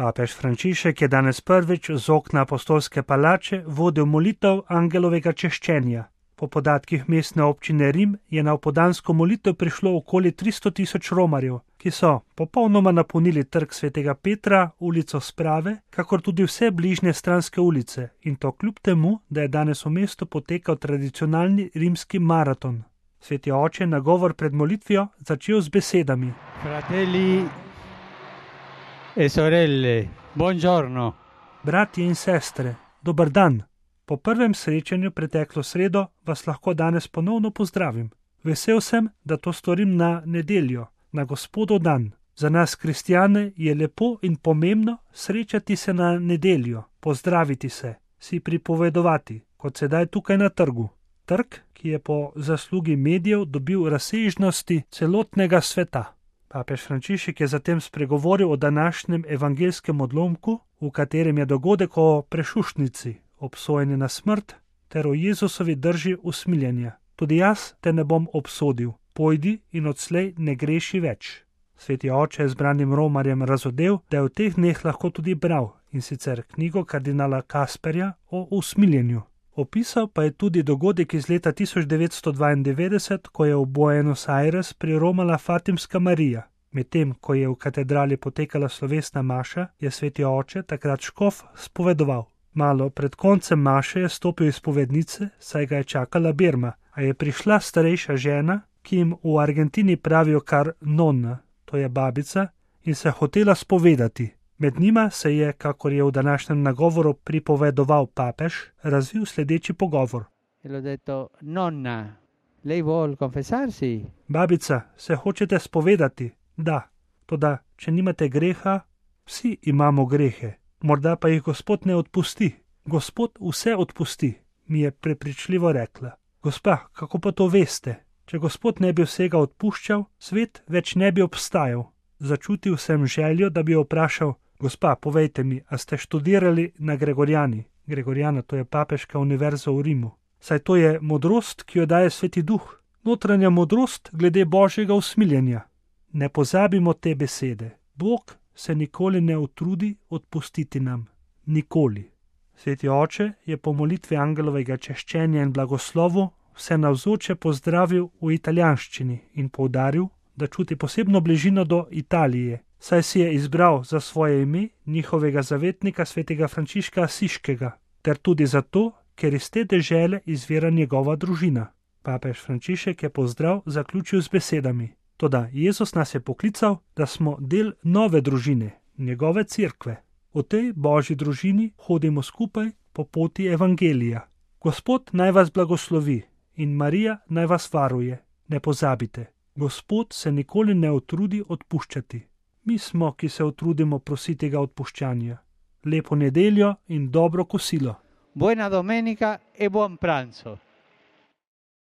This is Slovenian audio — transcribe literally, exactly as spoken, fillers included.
Papež Frančišek je danes prvič z okna apostolske palače vodil molitev angelovega češčenja. Po podatkih mestne občine Rim je na opoldansko molitev prišlo okoli tristo tisoč romarjev, ki so popolnoma napolnili trg svetega Petra, ulico Sprave, kakor tudi vse bližnje stranske ulice, in to kljub temu, da je danes v mestu potekal tradicionalni rimski maraton. Sveti oče je nagovor pred molitvijo začel z besedami: Fratelli e sorelle, buongiorno. Bratje in sestre, dober dan. Po prvem srečanju preteklo sredo vas lahko danes ponovno pozdravim. Vesel sem, da to storim na nedeljo, na Gospodov dan. Za nas kristjane je lepo in pomembno srečati se na nedeljo, pozdraviti se, si pripovedovati, kot sedaj tukaj na trgu. Trg, ki je po zaslugi medijev dobil razsežnosti celotnega sveta. Papež Frančišek je zatem spregovoril o današnjem evangelskem odlomku, v katerem je dogodek o prešuštnici, obsojeni na smrt, ter o Jezusovi drži usmiljenja. Tudi jaz te ne bom obsodil, pojdi in odslej ne greši več. Sveti oče je zbranim romarjem razodel, da je v teh dneh lahko tudi bral, in sicer knjigo kardinala Kasperja o usmiljenju. Opisal pa je tudi dogodek iz leta tisoč devetsto dvaindevetdeset, ko je v Buenos Aires priromala Fatimska Marija. Medtem, ko je v katedrali potekala slovesna maša, je sveti oče takrat škof spovedoval. Malo pred koncem maše je stopil iz spovednice, saj ga je čakala berma, a je prišla starejša žena, ki jim v Argentini pravijo kar nonna, to je babica, in se hotela spovedati. Med njima se je, kakor je v današnjem nagovoru pripovedoval papež, razvil sledeči pogovor. Detto, nonna, lei vuol confessarsi? Babica, se hočete spovedati? Da, toda, če nimate greha, vsi imamo grehe. Morda pa jih Gospod ne odpusti. Gospod vse odpusti, mi je prepričljivo rekla. Gospa, kako pa to veste? Če Gospod ne bi vsega odpuščal, svet več ne bi obstajal. Začutil sem željo, da bi jo vprašal: Gospa, povejte mi, a ste študirali na Gregorijani? Gregorijana, to je papeška univerza v Rimu. Saj to je modrost, ki jo daje Sveti Duh. Notranja modrost glede Božjega usmiljenja. Ne pozabimo te besede. Bog se nikoli ne utrudi odpustiti nam. Nikoli. Sveti oče je po molitvi angelovega češčenja in blagoslovu vse navzoče pozdravil v italijanščini in poudaril, da čuti posebno bližino do Italije, saj si je izbral za svoje ime njihovega zavetnika svetega Frančiška Asiškega, ter tudi zato, ker iz te dežele izvira njegova družina. Papež Frančišek je pozdrav zaključil z besedami: Toda Jezus nas je poklical, da smo del nove družine, njegove cerkve. V tej Božji družini hodimo skupaj po poti evangelija. Gospod naj vas blagoslovi in Marija naj vas varuje. Ne pozabite, Gospod se nikoli ne utrudi odpuščati. Mi smo, ki se utrudimo prositi ga odpuščanja. Lepo nedeljo in dobro kosilo. Buona domenica e buon pranzo.